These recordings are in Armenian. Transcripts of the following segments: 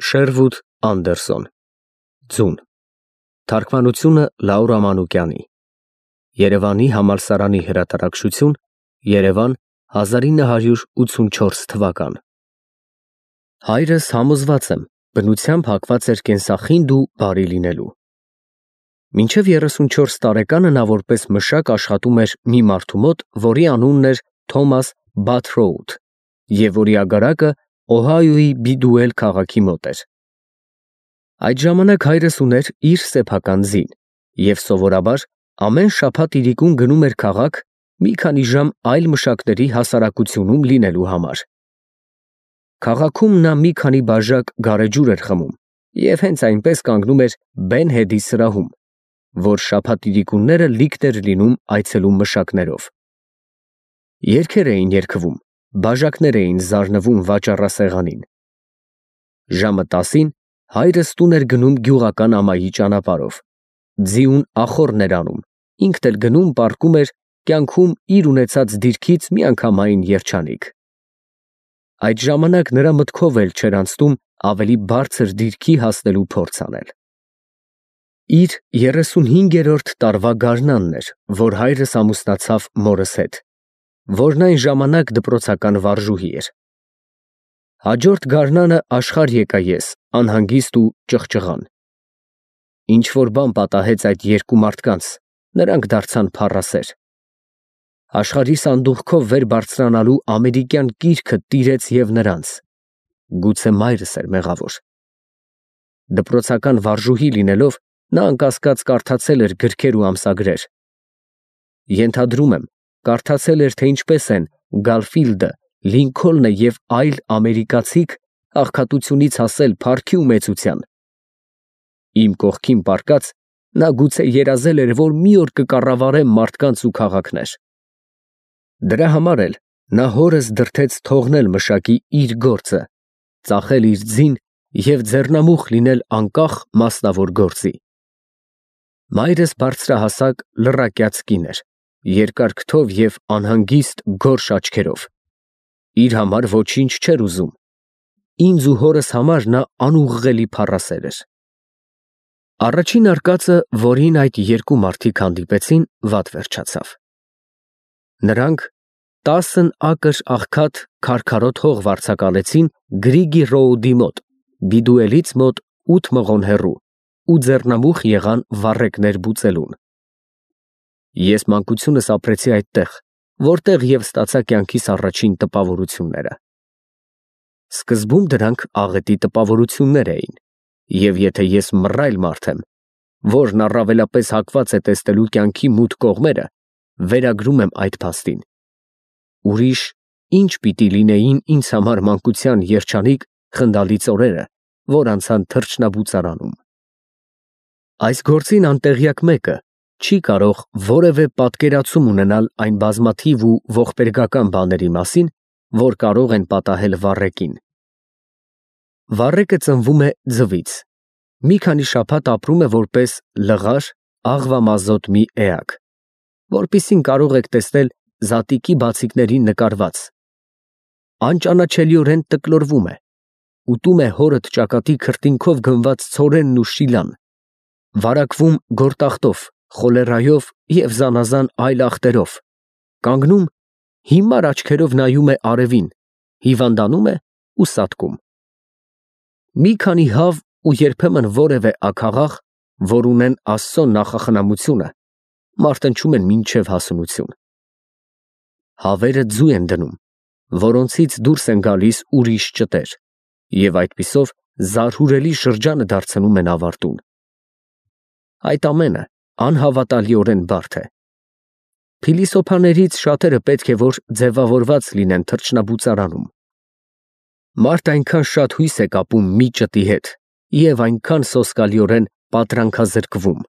Շերվուդ Անդերսոն Ձուն Թարգմանությունը Լաուրա Մանուկյանի Երևանի համալսարանի հրատարակչություն Երևան 1984 թվական Հայրս համոզված եմ բնությամբ հակված էր կենսախինդ ու բարի լինելու Մինչև 34 տարեկանը նա որպես մշակ աշխատում էր մի մարդու մոտ, որի անունն էր Թոմաս Բաթրոութ և որի ագարակը Օհայոյի Բիդուել քաղաքի մոտ էր։ Այդ ժամանակ հայրս ուներ իր սեփական ձին և սովորաբար ամեն շաբաթ իրիկուն գնում էր քաղաք մի քանի ժամ այլ մշակների հասարակությունում լինելու համար։ Քաղաքում նա մի քանի բաժակ գարեջուր էր խմում և հենց այնպես կանգնում էր Բեն Հեդի սրահում, որ շաբաթ իրիկունները լիքն էր լինում այցելուն մշակներով։ Երգեր էին երգվում, բաժակներ էին զարնվում վաճառասեղանին։ Ժամը 10-ին հայրս տուն էր գնում գյուղական ամայի ճանապարհով, ձիուն ախոռն էր անում, ինքն էլ գնում պառկում էր կյանքում իր ունեցած դիրքից միանգամայն երջանիկ։ Այդ ժամանակ նրա մտքով էլ չէր անցնում ավելի բարձր դիրքի հասնելու փորձ անել։ Իր 35-րդ տարվա գարնանն էր, որ հայրս ամուսնացավ մորս հետ, որն այն ժամանակ դպրոցական վարժուհի էր։ Հաջորդ գարնանը աշխարհ եկա ես, անհանգիստ ու ճղճղան։ Ինչ-որ բան պատահեց այդ երկու մարդկանց, նրանք դարձան փառասեր։ Աշխարհի սանդուղքով վեր բարձրանալու ամերիկյան կիրքը տիրեց և նրանց։ Գուցե մայրս էր մեղավոր։ Դպրոցական վարժուհի լինելով, նա անկասկած կարդացել էր գրքեր ու ամսագրեր։ Ենթադրում եմ, կարդացել էր, թե ինչպես են Գարֆիլդը, Լինքոլնը և այլ ամերիկացիք աղքատությունից հասել փառքի ու մեծության։ Իմ կողքին պառկած, նա գուցե երազել էր, որ մի օր կկառավարեմ մարդկանց ու քաղաքներ։ Դրա համար էլ նա հորս դրդեց թողնել մշակի իր գործը, ծախել իր ձին և ձեռնամուխ լինել անկախ մասնավոր գործի։ Մայրս բարձրահասակ լռակյաց կին էր, երկար քթով և անհանգիստ գորշ աչքերով։ Իր համար ոչինչ չէր ուզում։ Ինձ ու հորս համար նա անուղղելի փառասեր էր։ Առաջին արկածը, որին այդ երկու մարդիկ հանդիպեցին, վատ վերջացավ։ Նրանք 10 ակր աղքատ քարքարոտ հող վարձակալեցին Գրիգի Ռոուդի մոտ, Բիդուելից մոտ 8 մղոն հեռու ու ձեռնամուխ եղան վառեկներ բուծելուն։ Ես մանկությունս ապրեցի այդտեղ, որտեղ և ստացա կյանքիս առաջին տպավորությունները։ Սկզբում դրանք աղետի տպավորություններ էին, և եթե ես մռայլ մարդ եմ, որն առավելապես հակված է տեսնելու կյանքի մութ կողմերը, վերագրում եմ այդ փաստին։ Ուրիշ ինչ պիտի լինեին ինձ համար մանկության երջանիկ խնդալից օրերը, որ անցան թռչնաբուծարանում։ Այս գործին անտեղյակ մեկը չի կարող որևէ պատկերացում ունենալ այն բազմաթիվ ու ողբերգական բաների մասին, որ կարող են պատահել վառեկին։ Վառեկը ծնվում է ձվից, մի քանի շաբաթ ապրում է որպես լղար, աղվամազոտ մի էակ, որպիսին կարող եք տեսնել զատիկի բացիկներին նկարված։ Անճանաչելիորեն տկլորվում է, ուտում է հորը ճակատի քրտինքով գնված ցորենն ու շիլան, վարակվում գորտախտով, խոլերայով և զանազան այլ ախտերով, կանգնում, հիմար աչքերով նայում է արևին, հիվանդանում է ու սատկում։ Մի քանի հավ ու երբեմն որևէ աքաղաղ, որ ունեն Աստծո նախախնամությունը, մարտնչում են մինչև հասունություն։ Հավերը ձու են դնում, որոնցից դուրս են գալիս ուրիշ ճտեր, և այդպիսով զարհուրելի շրջանը դարձնում են ավարտուն։ Այդ ամենը անհավատալիորեն բարդ է։ Փիլիսոփաներից շատերը պետք է որ ձևավորված լինեն թռչնաբուծարանում։ Մարդ այնքան շատ հույս է կապում մի ճտի հետ և այնքան սոսկալիորեն պատրանքազրկվում։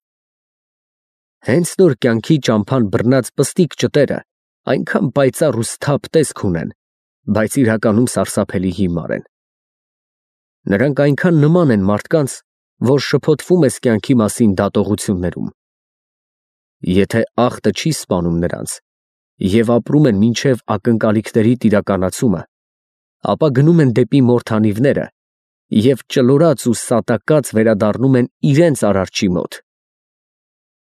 Հենց նոր կյանքի ճամփան բռնած պստիկ ճտերը այնքան պայծառ ու սթափ տեսք ունեն, բայց իրականում սարսափելի հիմար են։ Նրանք այնքան նման են մարդկանց, որ շփոթվում ես կյանքի մասին դատողություններում։ Եթե ախտը չի սպանում նրանց և ապրում են մինչև ակնկալիքների տիրականացումը, ապա գնում են դեպի մորթանիվները և ճլորած ու սատակած վերադառնում են իրենց արարչի մոտ։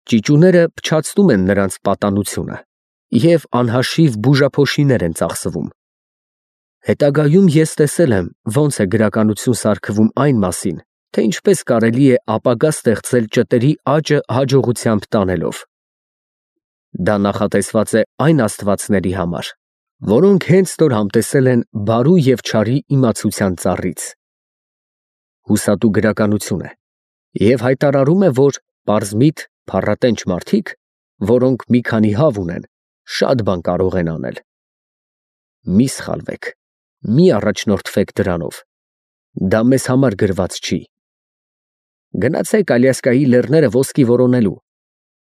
Ճիճուները փչացնում են նրանց պատանությունը և անհաշիվ բուժափոշիներ են ծախսվում։ Հետագայում ես տեսել եմ, ոնց է գրականություն սարքվում այն մասին, թե ինչպես կարելի է ապագա ստեղծել ճտերի աճը հաջողությամբ տանելով։ Դա նախատեսված է այն աստվածների համար, որոնք հենց նոր համտեսել են բարու և չարի իմացության ծառից։ Հուսատու գրականություն է և հայտարարում է, որ պարզմիտ, փառատենչ մարդիկ, որոնք մի քանի հավ ունեն, շատ բան կարող են անել։ Մի սխալվեք, մի առաջնորդվեք դրանով, դա մեզ համար գրված չի։ Գնացեք Ալյասկայի լեռները ոսկի որոնելու,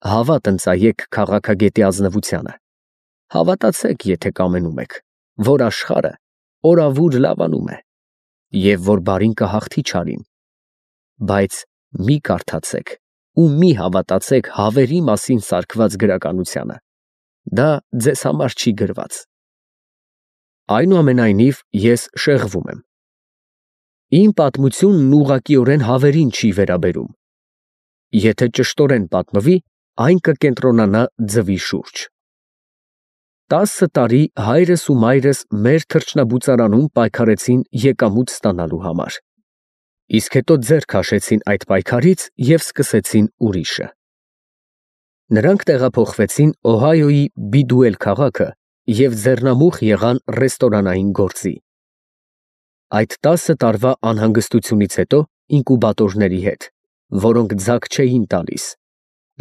հավատ ընծայեք քաղաքագետի ազնվությանը, հավատացեք, եթե կամենում եք, որ աշխարհը օրավուր լավանում է, և որ բարին կհաղթի չարին, բայց մի կարդացեք ու մի հավատացեք հավերի մասին սարքված գրականությանը, դա ձեզ համար չի գրված։ Այնուամենայնիվ, ես շեղվում եմ։ Իմ պատմությունն ուղղակիորեն հավերին չի վերաբերում։ Եթե ճշտորեն պատմվի, այն կկենտրոնանա ձվի շուրջ։ 10 տարի հայրս ու մայրս մեր թռչնաբուծարանում պայքարեցին եկամուտ ստանալու համար, իսկ հետո ձեռ քաշեցին այդ պայքարից և սկսեցին ուրիշը։ Նրանք տեղափոխվեցին Օհայոյի Բիդուել քաղաքը և ձեռնամուխ եղան ռեստորանային գործի։ Այդ 10 տարվա անհանգստությունից հետո ինկուբատորների հետ, որոնք ձագ չէին տալիս,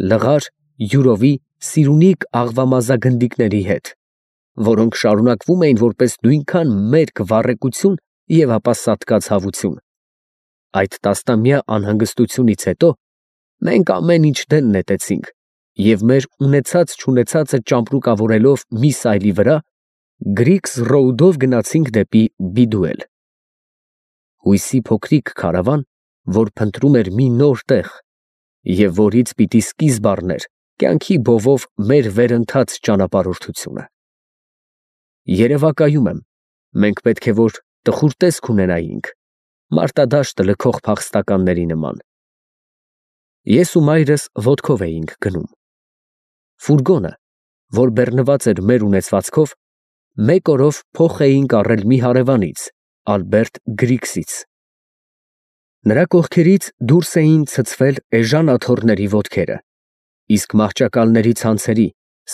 լղար, յուրովի, սիրունիկ աղվամազագնդիկների հետ, որոնք շարունակվում էին որպես նույնքան մերկ վառեկություն և ապա սատկած հավություն։ Այդ տասնամյա անհանգստությունից հետո մենք ամեն ինչ դեն նետեցինք և մեր ունեցած-չունեցածը ճամպրուկավորելով մի սայլի վրա, Գրիքս Ռոուդով գնացինք դեպի Բիդուել։ Հույսի փոքրիկ քարավան, որ փնտրում էր մի նոր տեղ և որից պիտի սկիզբ առներ կյանքի բովով մեր վերընթաց ճանապարհորդությունը։ Երևակայում եմ, մենք պետք է որ տխուր տեսք ունենայինք, մարտադաշտը լքող փախստականների նման։ Ես ու մայրս ոտքով էինք գնում։ Ֆուրգոնը, որ բեռնված էր մեր ունեցվածքով, մեկ օրով փոխ էինք առել մի հարևանից, Ալբերտ Գրիքսից։ Նրա կողքերից դուրս էին ցցվել էժան աթոռների ոտքերը, իսկ մահճակալների ցանցերի,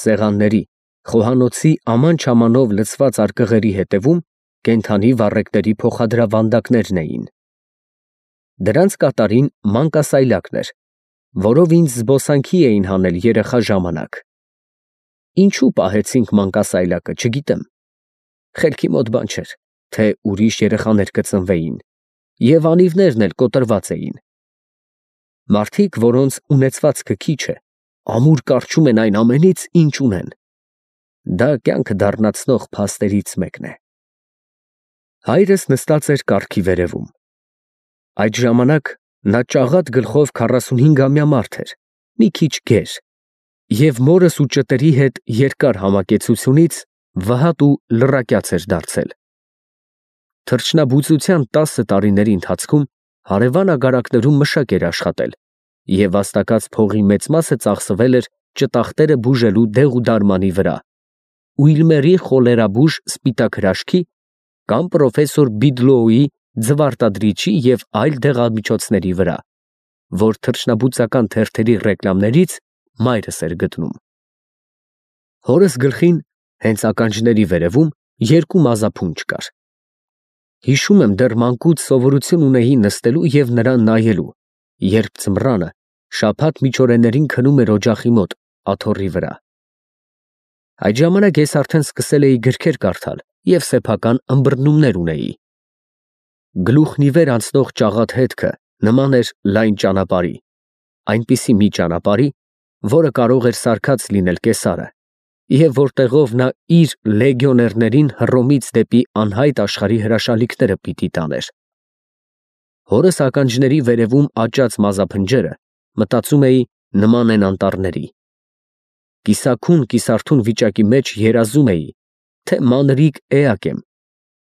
սեղանների, խոհանոցի աման-չամանով լցված արկղերի հետևում կենդանի վառեկների փոխադրավանդակներն էին։ Դրանց կատարին մանկասայլակն էր, որով ինձ զբոսանքի էին հանել երեխա ժամանակ։ Ինչու պահեցինք մանկասայլակը, չգիտեմ։ Խելքի մոտ բան չէր, թե ուրիշ երեխաներ կծնվեին, և անիվներն էլ կոտրված էին։ Մարդիկ, որոնց ունեցվածքը քիչ է, ամուր կառչում են այն ամենից, ինչ ունեն։ Դա կյանքը դառնացնող փաստերից մեկն է։ Հայրս նստած էր կառքի վերևում։ Այդ ժամանակ նա ճաղատ գլխով 45-ամյա մարդ էր, մի քիչ գեր, և մորս ու ճտերի հետ երկար համակեցությունից վհատ ու լռակյաց էր դարձել։ Թռչնաբուծության 10 տարիների ընթացքում հարևան ագարակներում մշակ էր աշխատել, և վաստակած փողի մեծ մասը ծախսվել էր ճտախտերը բուժելու դեղուդարմանի վրա, Ուիլմերի խոլերաբույժ սպիտակ հրաշքի կամ պրոֆեսոր Բիդլոուի ձվարտադրիչի և այլ դեղամիջոցների վրա, որ թռչնաբուծական թերթերի ռեկլամներից մայրս էր գտնում։ Հորս գլխին, հենց ականջների վերևում, երկու մազափունջ կար։ Հիշում եմ, դեռ մանկուց սովորություն ունեի նստելու և նրան նայելու, երբ ձմռանը շաբաթ միջօրեներին քնում էր օջախի մոտ, աթոռի վրա։ Այդ ժամանակ ես արդեն սկսել էի գրքեր կարդալ և սեփական ըմբռնումներ ունեի։ Գլուխն ի վեր անցնող ճաղատ հետքը նման էր լայն ճանապարհի, այնպիսի մի ճանապարհի, որը կարող էր սարքած լինել կեսարը, և որտեղով նա իր լեգիոներներին Հռոմից դեպի անհայտ աշխարհի հրաշալիքները պիտի տաներ։ Հորս ականջների վերևում աճած մազափնջերը, մտածում էի, նման են անտառների։ Կիսաքուն վիճակի մեջ երազում էի, թե մանրիկ էակ եմ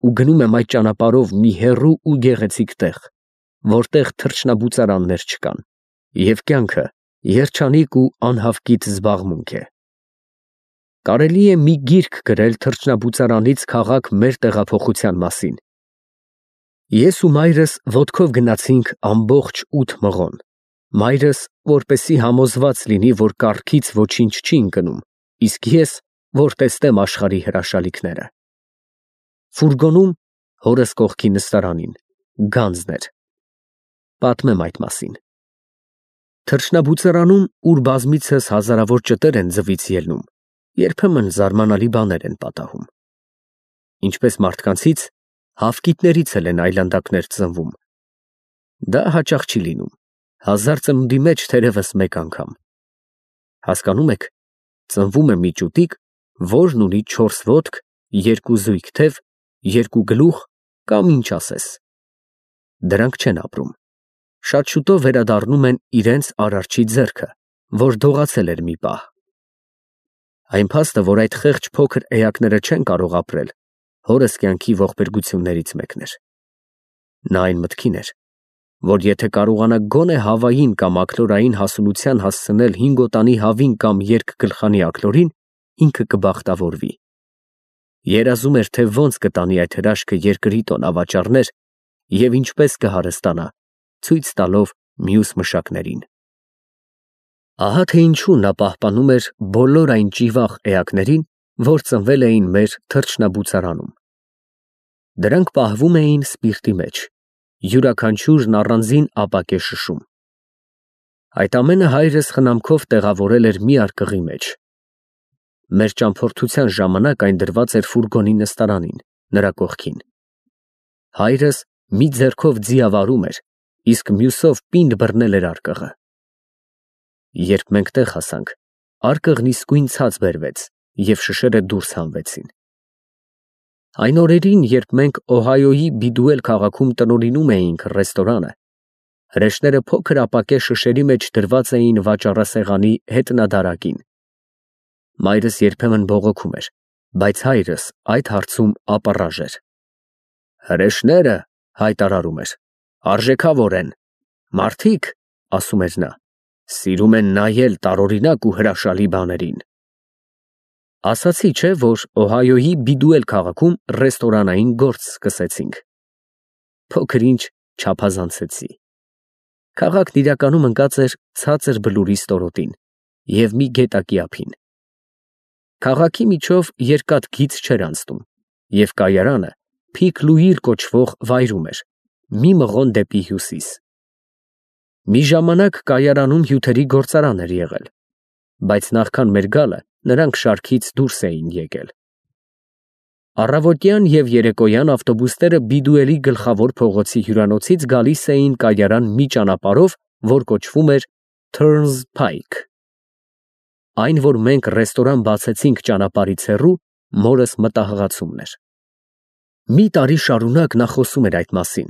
ու գնում եմ այդ ճանապարհով մի հեռու ու գեղեցիկ տեղ, որտեղ թռչնաբուծարաններ չկան, և կյանքը երջանիկ ու անհավկիտ զբաղմունք է։ Կարելի է մի գիրք գրել թռչնաբուծարանից քաղաք մեր տեղափոխության մասին։ Ես ու մայրս ոտքով գնացինք ամբողջ 8 մղոն, մայրս, որպեսզի համոզված լինի, որ կառքից ոչինչ չի ընկնում, իսկ ես, որ տեսնեմ աշխարհի հրաշալիքները։ Ֆուրգոնում, հորս կողքի նստարանին, գանձն էր։ Պատմեմ այդ մասին։ Թռչնաբուծարանում, ուր բազմիցս հազարավոր ճտեր են ձվից ելնում, երբեմն զարմանալի բաներ են պատահում։ Ինչպես մարդկանցից, հավկիթներից էլ են այլանդակներ ծնվում։ Դա հաճախ չի լինում, 1000 ծնունդի մեջ թերևս մեկ անգամ։ Հասկանում եք, ծնվում է մի ճուտիկ, որն ունի 4 ոտք, 2 զույգ թև, 2 գլուխ կամ ինչ ասես։ Դրանք չեն ապրում։ Շատ շուտով վերադառնում են իրենց արարչի ձեռքը, որ դողացել էր մի պահ։ Այն փաստը, որ այդ խեղճ փոքր էակները չեն կարող ապրել, հորս կյանքի ողբերգություններից մեկն էր։ Նա այն մտքին էր, որ եթե կարողանա գոնե հավային կամ աքլորային հասունության հասցնել 5 օտանի հավին կամ երկգլխանի աքլորին, ինքը կբախտավորվի։ Երազում էր, թե ոնց կտանի այդ հրաշքը երկրի տոն ավաճառներ և ինչպես կհարստանա, ցույց տալով մյուս մշակներին։ Ահա թե ինչու նա պահպանում էր բոլոր այն ճիվաղ էակներին, որ ծնվել էին մեր թռչնաբուծարանում։ Դրանք պահվում էին սպիրտի մեջ, յուրաքանչյուրն առանձին ապակե շշում։ Այդ ամենը հայրս խնամքով տեղավորել էր մի արկղի մեջ։ Մեր ճամփորդության ժամանակ այն դրված էր ֆուրգոնի նստարանին, նրա կողքին։ Հայրս մի ձեռքով ձիավարում էր, իսկ մյուսով պինդ բռնել էր արկղը։ Երբ մենք տեղ հասանք, արկղն իսկույն ցած բերվեց, և շշերը դուրս հանվեցին։ Այն օրերին, երբ մենք Օհայոյի Բիդուել քաղաքում տնօրինում էինք ռեստորանը, հրեշները փոքր ապակե շշերի մեջ դրված էին վաճառասեղանի հետնադարակին։ Մայրս երբեմն բողոքում էր, բայց հայրս այդ հարցում ապառաժ էր։ Հրեշները, հայտարարում էր, արժեքավոր են։ Մարդիկ, ասում էր նա, սիրում են նայել տարօրինակ ու հրաշալի բաներին։ Ասացի չէ, որ Օհայոյի Բիդուել քաղաքում ռեստորանային գործ սկսեցինք։ Փոքր-ինչ չափազանցեցի։ Քաղաքն իրականում ընկած էր ցածր բլուրի ստորոտին և մի գետակի ափին։ Քաղաքի միջով երկաթ գիծ չէր անցնում, և կայարանը Փիք կոչվող վայրում էր, մի մղոն դեպի հյուսիս։ Մի ժամանակ կայարանում հյութերի գործարան էր եղել, բայց նախքան մեր գալը նրանք շարքից դուրս էին եկել։ Առավոտյան և երեկոյան ավտոբուսները Բիդուելի գլխավոր փողոցի հյուրանոցից գալիս էին կայարան մի ճանապարհով, որ կոչվում էր Turnspike։ Այն, որ մենք ռեստորան բացեցինք ճանապարհից հեռու, մորս մտահղացումն էր։ Մի տարի շարունակ նա խոսում էր այդ մասին,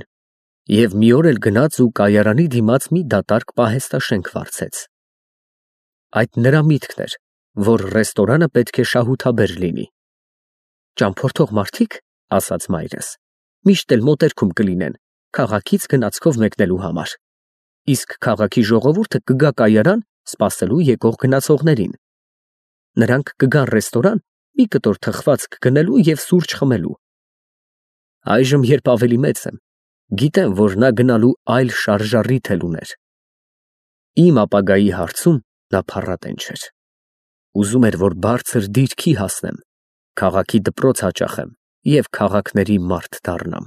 և մի օր էլ գնաց ու կայարանի դիմաց մի դատարկ պահեստաշենք վարձեց։ Այդ նրա միտքն էր, որ ռեստորանը պետք է շահութաբեր լինի։ Ճամփորդող մարդիկ, ասաց մայրս, միշտ էլ մոտերքում կլինեն, քաղաքից գնացքով մեկնելու համար, իսկ քաղաքի ժողովուրդը կգա կայարան սպասելու եկող գնացողներին։ Նրանք կգան ռեստորան մի կտոր թխվածք գնելու և սուրճ խմելու։ Այժմ, երբ ավելի մեծ եմ, գիտեմ, որ նա գնալու այլ շարժառիթ էլ ուներ։ Իմ ապագայի հարցում նա փառատեն չէր։ Ուզում էր, որ բարձր դիրքի հասնեմ, քաղաքի դպրոց հաճախեմ և քաղաքների մարդ դառնամ։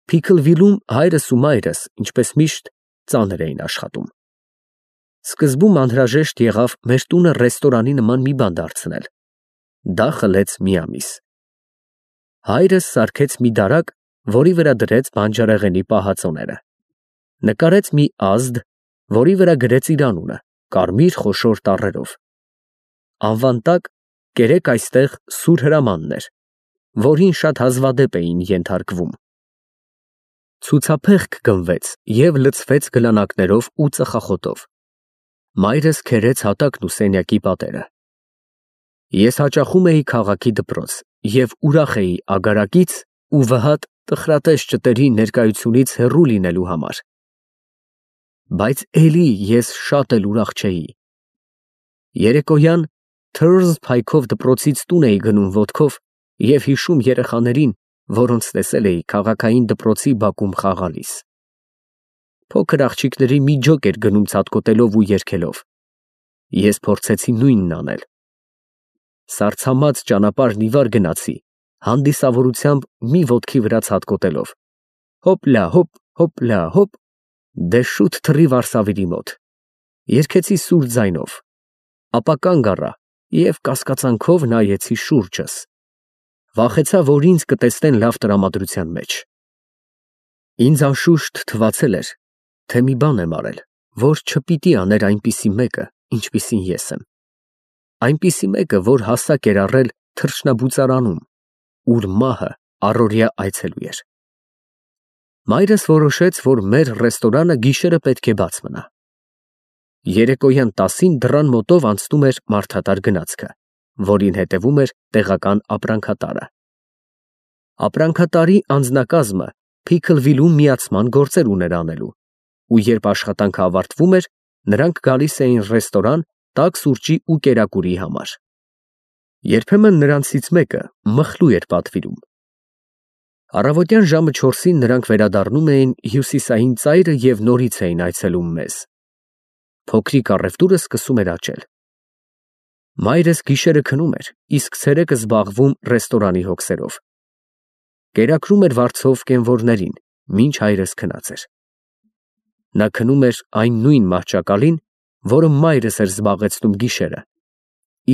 Փիքլվիլում հայրս ու մայրս, ինչպես միշտ, ծանր էին աշխատում։ Սկզբում անհրաժեշտ եղավ մեր տունը ռեստորանի նման մի բան դարձնել։ Դա խլեց մի ամիս։ Հայրս սարքեց մի դարակ, որի վրա դրեց բանջարեղենի պահածոները։ Նկարեց մի ազդ, որի վրա գրեց իր անունը, կարմիր խոշոր տառերով։ Անվան տակ կերեք այստեղ սուր հրամանն էր, որին շատ հազվադեպ էին ենթարկվում։ Ցուցափեղկ գնվեց և լցվեց գլանակներով ու ծխախոտով։ Մայրս քերեց հատակն ու սենյակի պատերը։ Ես հաճախում էի քաղաքի դպրոց և ուրախ էի ագարակից ու վհատ տխրատես ճտերի ներկայությունից հեռու լինելու համար։ Բայց էլի ես շատ էլ ուրախ չէի։ Երեկոյան թրզը փայքով դպրոցից տուն էի գնում ոտքով և հիշում երեխաներին, որոնց տեսել էի քաղաքային դպրոցի բակում խաղալիս։ Փոքր աղջիկների մի ջոկ էր գնում ցատկոտելով ու երգելով։ Ես փորձեցի նույնն անել։ Սառցամած ճանապարհն ի վար գնացի, հանդիսավորությամբ մի ոտքի վրա ցատկոտելով։ Հոպլա, հոպ, հոպլա, հոպ, դե շուտ թռի Վարսավիրի մոտ։ Երգեցի սուր ձայնով, ապա կանգ առա և կասկածանքով նայեցի շուրջս։ Վախեցա, որ ինձ կտեսնեն լավ տրամադրության մեջ։ Ինձ անշուշտ թվացել էր, թե մի բան եմ արել, որ չպիտի աներ այնպիսի մեկը, ինչպիսին ես եմ։ Այնպիսի մեկը, որ հասակ էր առել թռչնաբուծարանում, ուր մահը առօրյա այցելու էր։ Մայրս որոշեց, որ մեր ռեստորանը գիշերը պետք է բաց մնա։ Երեկոյան 10-ին դռան մոտով անցնում էր մարդատար գնացքը, որին հետևում էր տեղական ապրանքատարը։ Ապրանքատարի անձնակազմը Փիքլվիլում միացման գործեր ուներ անելու, ու երբ աշխատանքը ավարտվում էր, նրանք գալիս էին ռեստորան տաք սուրճի ու կերակուրի համար։ Երբեմն նրանցից մեկը մխլու էր պատվիրում։ Առավոտյան ժամը 4-ին նրանք վերադառնում էին հյուսիսային ծայրը և նորից էին այցելում մեզ։ Փոքրիկ առևտուրը սկսում էր աճել։ Մայրս գիշերը քնում էր, իսկ ցերեկը զբաղվում ռեստորանի հոգսերով։ Կերակրում էր վարձով կենվորներին, մինչ հայրս քնած էր։ Նա քնում էր այն նույն մահճակալին, որը մայրս էր զբաղեցնում գիշերը,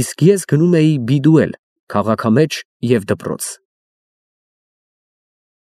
իսկ ես գնում էի բիդուել քաղաքամեջ և դպրոց։